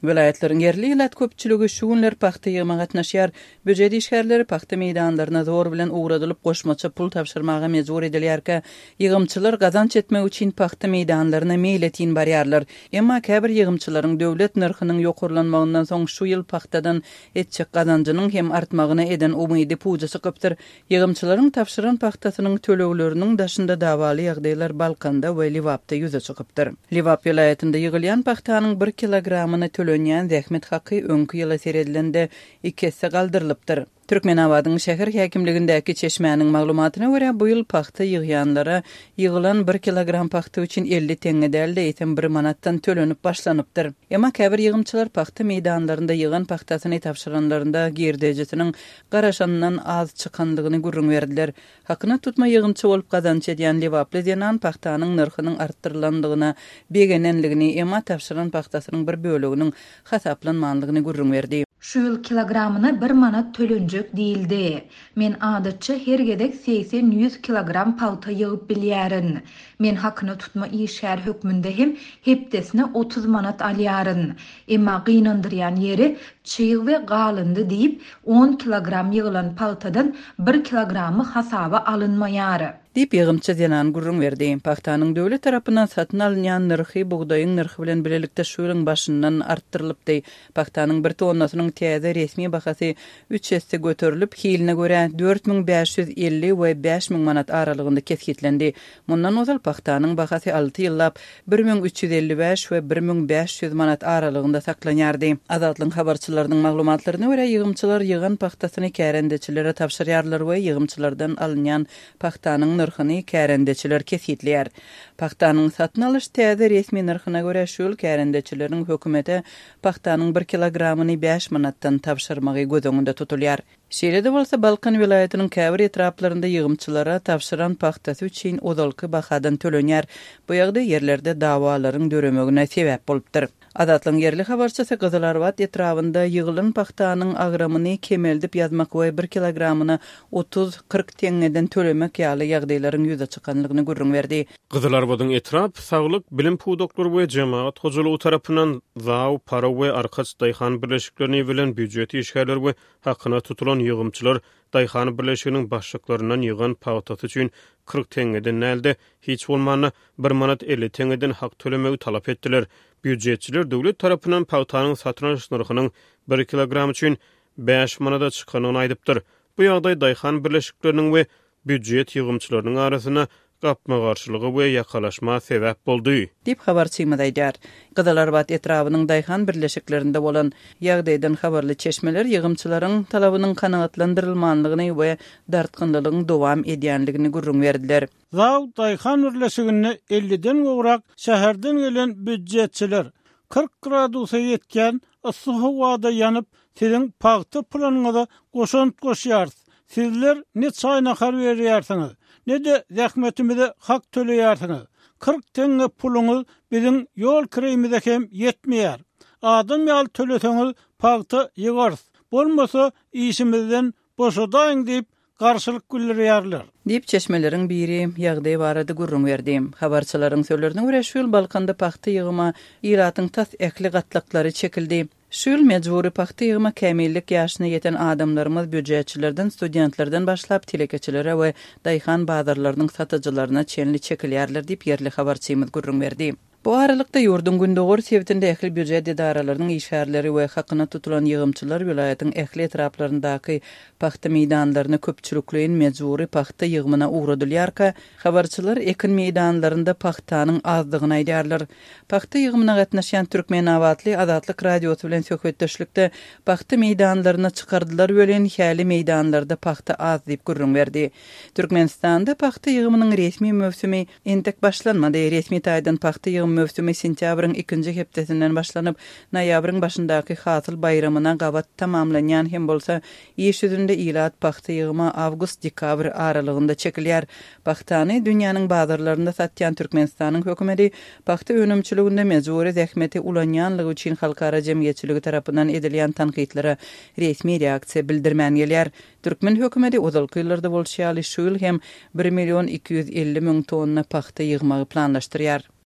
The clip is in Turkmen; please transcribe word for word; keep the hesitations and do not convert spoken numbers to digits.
Welaýatlaryň ýerli ilat köpçüligi şu günler pagta ýygyma gatnaşýar. Býujet işgärleri pagta meýdanlaryna zor bilen ugradylyp goşmaça pul tabşyrmaga mejbur edilýärkä, ýygymçylar gazanç etmek üçin pagta meýdanlaryna meýletin barýarlar. Emma käbir ýygymçylaryň döwlet nyrhynyň ýokarlanmagyndan soň şu ýyl pagtadan etjek gazanjynyň hem artmagyna eden umydy puja çykypdyr. Ýygymçylaryň tabşyran pagtasynyň tölegleriniň daşynda dawaly ýagdaýlar Balkanda we Lebapda ýüze çykypdyr. Lebap welaýatynda ýygylýan pagtanyň bir kilogramyna tölenýän zähmet haky öňki ýyla seredilende iki esse galdyrylypdyr. Türkmenabadyň şäher häkimligindäki çeşmäniň maglumatyna görä, bu ýyl pagta ýygýanlara ýygylan bir kilogram pagta üçin elli teňňe däl-de, eýsem bir manatdan tölenip başlanypdyr. Emma käbir ýygymçylar pagta meýdanlarynda ýygan pagtasyny tabşyranlarynda girdejisiniň garaşanyndan az çykanlygyny gürrüň berdiler. Hakyna tutma ýygymçy bolup gazanç edýän Lebaply zenan pagtanyň nyrhynyň artdyrylandygyna begenenligini, emma tabşyran pagtasynyň bir böleginiň hasaplanmanlygyny gürrüň berdi. Şu ýyl kilogramyna bir manat tölenjek diýildi. Men adatça her gezek segsen-ýüz kilogram pagta ýygyp bilýärin. Men hakyna tutma işgär hökmünde hem hepdesine otuz manat alýaryn. Emma gynandyrýan ýeri çyg we galyndy diýip on kilogram ýygylan pagtadan bir kilogramy hasaba alynmaýar. Diýip ýygymçy zenan gürrüň berdi. Pagtanyň döwlet tarapyndan satyn alynýan nyrhy bugdaýyň nyrhy bilen birlikde şu ýylyň başyndan artdyrylypdy. Pagtanyň bir tonnasynyň täze resmi bahasy üç esse göterilip, hiline görä dört müň bäş ýüz elli we bäş müň manat aralygynda kesgitlendi. Mundan ozal pagtanyň bahasy alty ýyllap bir müň üç ýüz elli bäş we bir müň bäş ýüz manat aralygynda saklanýardy. Azatlygyň habarçylarynyň maglumatlaryna görä, ýygymçylar ýygan pagtasyny kärendeçilere tabşyrýarlar we ýygymçylardan alynýan pagtanyň nyrhyny kärendeçiler kesgitleýär. Pagtanyň satyn alyş täze resmi nyrhyna görä şu ýyl kärendeçileriň hökümete pagtanyň bir kilogramyny bäş manatdan tabşyrmagy göz öňünde tutulýar. Şeýle-de bolsa Balkan welaýatynyň käbir etraplarynda ýygymçylara tabşyran pagtasy üçin ozalky bahadan tölenýär. Bu ýagdaý ýerlerde dawalaryň döremegine sebäp bolupdyr. Azatlygyň ýerli habarçysy Gyzylarbat etrabynda ýygylan pagtanyň agramyny kemeldip ýazmak we bir kilogramyna otuz kyrk teňňeden tölemek ýaly ýagdaýlaryň ýüze çykanlygyny gürrüň berdi. Gyzylarbadyň etrap, saglyk, bilim pudaklary we jemagat hojalygy tarapyndan Zaw, Para we Arkaç daýhan birleşiklerini bilen býujet işgärleri we hakyna tutulan ýygymçylar daýhan birleşiginiň başlyklaryndan ýygan pagtasy üçin kyrk teňňeden dälde hiç bolmanda bir manat elli teňňeden hak tölemegi talap etdiler. Býujetçiler döwlet tarapyndan pagtanyň satyn alyş nyrhynyň bir kilogram üçin bäş manada çykanyny aýdypdyr. Bu ýagdaý daýhan birleşikleriniň we býujet ýygymçylarynyň arasynda gapma-garşylyga we ýakalaşma sebäp boldy. Diýip habarçymyz aýdýar. Gyzylarbat etrabynyň daýhan birleşiklerinde bolan ýagdaýdan habarly çeşmeler ýygymçylaryň talabynyň kanagatlandyrylmanlygyny we dartgynlylygyň dowam edýänligini gürrüň berdiler. Zaw daýhan birleşiginde elliden gowrak şäherden gelen býujetçiler kyrk gradusa ýetýän yssy howada ýanyp, siziň pagta pulanyňyza goşant goşýarys. Sizler ne çaý nahar berýärsiňiz, ne de zähmetimize hak töleýärsiňiz. Kyrk teňňe puluňyz biziň ýol kireýimize hem ýetmeýär. Adam ýaly töleseňiz pagta ýygarys. Bolmasa işimizden boşadaýyň diýip garşylyk bildirýärler. Diýip çeşmeleriň biri ýagdaý barada gürrüň berdi. Habarçylaryň sözlerine görä şu ýyl Balkanda pagta ýygyma ilatyň tas ähli gatlaklary çekildi. Şu ýyl mejbury pagta ýygyma kämillik ýaşyna ýeten adamlarymyz býujetçilerden, studentlerden başlap telekeçilere we daýhan bazarlarynyň satyjylaryna çenli çekilýärler diýip ýerli habarçymyz gürrüň berdi. Bu aralykda ýurduň gündogar sebitinde ähli býujet edaralarynyň işgärleri we hakyna tutulan ýygymçylar welaýatyň ähli etraplaryndaky pagta meýdanlaryna köpçülikleýin mejbury pagta ýygymyna ugradylýarka, habarçylar ekin meýdanlarynda pagtanyň azdygyny aýdýarlar. Pagta ýygymyna gatnaşýan Türkmenabatly Azatlyk radiosy bilen söhbetdeşlikde pagta meýdanlaryna çykardylar welin häli meýdanlarda pagta az diýip gürrüň berdi. Türkmenistanda pagta ýygymynyň resmi möwsümi entek başlanmady. Resmi taýdan pagta ýygym möwsümi sentýabryň ikinji hepdesinden başlanyp, noýabryň başyndaky hasyl baýramyna gabat tamamlanýan hem bolsa, iş ýüzünde ilat pagta ýygyma awgust-dekabr aralygynda çekilýär. Pagtany dünýäniň bazarlarynda satýan Türkmenistanyň hökümeti pagta önümçiliginde mejbury zähmeti ulanýanlygy üçin halkara jemgyýetçiligi tarapyndan edilýän tankytlara resmi reaksiýa bildirmän gelýär. Türkmen hökümeti ozalky ýyllarda bolşy ýaly şu ýyl hem bir million iki ýüz elli müň tonna pagta ýygmagy planlaşdyrýar.